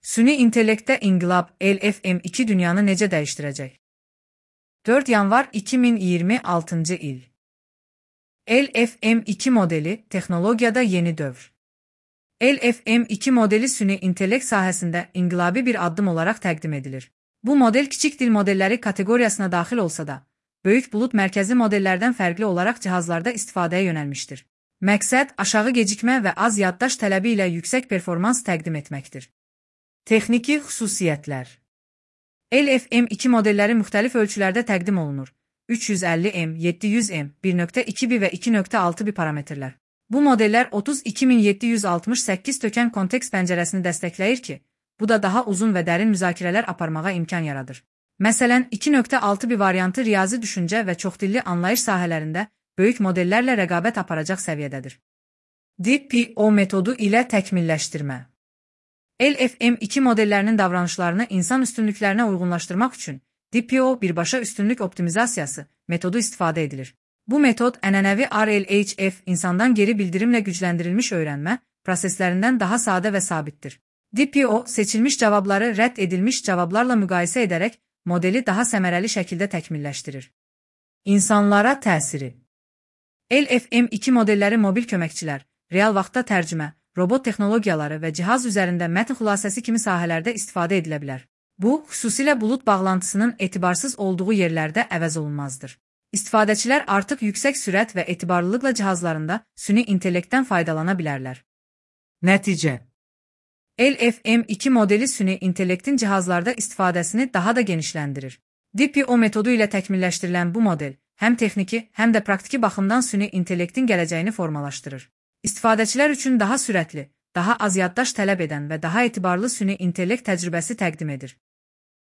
Süni intellektdə inqilab LFM2 dünyanı necə dəyişdirəcək? 4 yanvar 2026-cı il. LFM2 modeli texnologiyada yeni dövr. LFM2 modeli süni intellekt sahəsində inqilabi bir addım olaraq təqdim edilir. Bu model kiçik dil modelləri kateqoriyasına daxil olsa da, böyük bulut mərkəzi modellərdən fərqli olaraq cihazlarda istifadəyə yönəlmişdir. Məqsəd aşağı gecikmə və az yaddaş tələbi ilə yüksək performans təqdim etməkdir. Texniki xüsusiyyətlər. LFM2 modelləri müxtəlif ölçülərdə təqdim olunur. 350M, 700M, 1.2B və 2.6B parametrlər. Bu modellər 32768 tökən kontekst pəncərəsini dəstəkləyir ki, bu da daha uzun və dərin müzakirələr aparmağa imkan yaradır. Məsələn, 2.6B variantı riyazi düşüncə və çoxdilli anlayış sahələrində böyük modellərlə rəqabət aparacaq səviyyədədir. DPO metodu ilə təkmilləşdirmə. LFM2 modellərinin davranışlarını insan üstünlüklərinə uyğunlaşdırmaq üçün DPO birbaşa üstünlük optimizasiyası metodu istifadə edilir. Bu metod ənənəvi RLHF insandan geri bildirimlə gücləndirilmiş öyrənmə proseslərindən daha sadə və sabitdir. DPO seçilmiş cavabları rədd edilmiş cavablarla müqayisə edərək modeli daha səmərəli şəkildə təkmilləşdirir. İnsanlara təsiri. LFM2 modelləri mobil köməkçilər, real vaxtda tərcümə, robot texnologiyaları və cihaz üzərində mətn xülasəsi kimi sahələrdə istifadə edilə bilər. Bu, xüsusilə bulut bağlantısının etibarsız olduğu yerlərdə əvəz olunmazdır. İstifadəçilər artıq yüksək sürət və etibarlılıqla cihazlarında süni intellektdən faydalana bilərlər. Nəticə. LFM2 modeli süni intellektin cihazlarda istifadəsini daha da genişləndirir. DPO metodu ilə təkmilləşdirilən bu model həm texniki, həm də praktiki baxımdan süni intellektin gələcəyini formalaşdırır. İstifadəçilər üçün daha sürətli, daha az yaddaş tələb edən və daha etibarlı süni intellekt təcrübəsi təqdim edir.